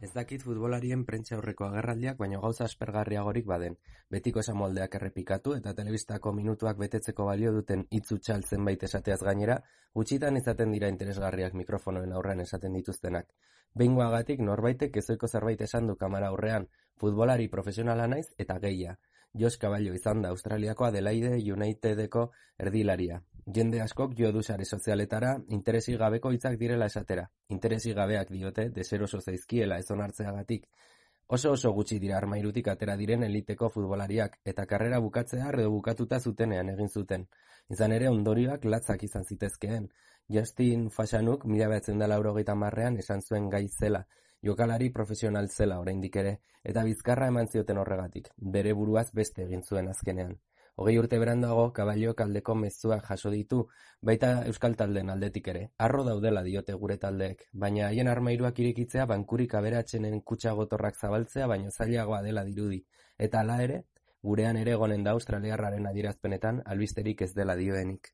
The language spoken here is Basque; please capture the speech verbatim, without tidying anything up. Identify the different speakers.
Speaker 1: Ez dakit futbolarien prentsa aurreko agerraldiak baino gauza aspergarriagorik baden. Betiko esamoldeak errepikatu eta telebistako minutuak betetzeko balio duten hitz hutsal zenbait esateaz gainera, gutxitan izaten dira interesgarriak mikrofonoen aurrean esaten dituztenak. Behingoagatik norbaitek ezoiko zerbait esan du kamara aurrean, futbolari profesionala naiz eta gehia. Josh Cavallo izan da Australiako Adelaide Unitedeko erdilaria. Jende askok jo du sare sozialetara interesi gabeko hitzak direla esatera. Interesi gabeak diote deseroso zaizkiela ez onartzeagatik. Oso oso gutxi dira armairutik atera diren eliteko futbolariak eta karrera bukatzea edo bukatuta zutenean egin zuten. Izan ere ondorioak latzak izan zitezkeen. Justin Fashanuk mila bederatziehun eta laurogeita hamarrean esan zuen gai zela. Jokalari profesional zela oraindik ere, eta bizkarra eman zioten horregatik, bere buruaz beste egin zuen azkenean. Hogei urte beranduago, Cavalloek aldeko mezuak jaso ditu, baita euskal taldeen aldetik ere. Harro daudela diote gure taldeek, baina haien armairuak irekitzea bankurik aberatsenen kutxa gotorrak zabaltzea baino zailagoa dela dirudi. Eta hala ere, gurean ere egonen da australiarraren adierazpenetan albisterik ez dela dioenik.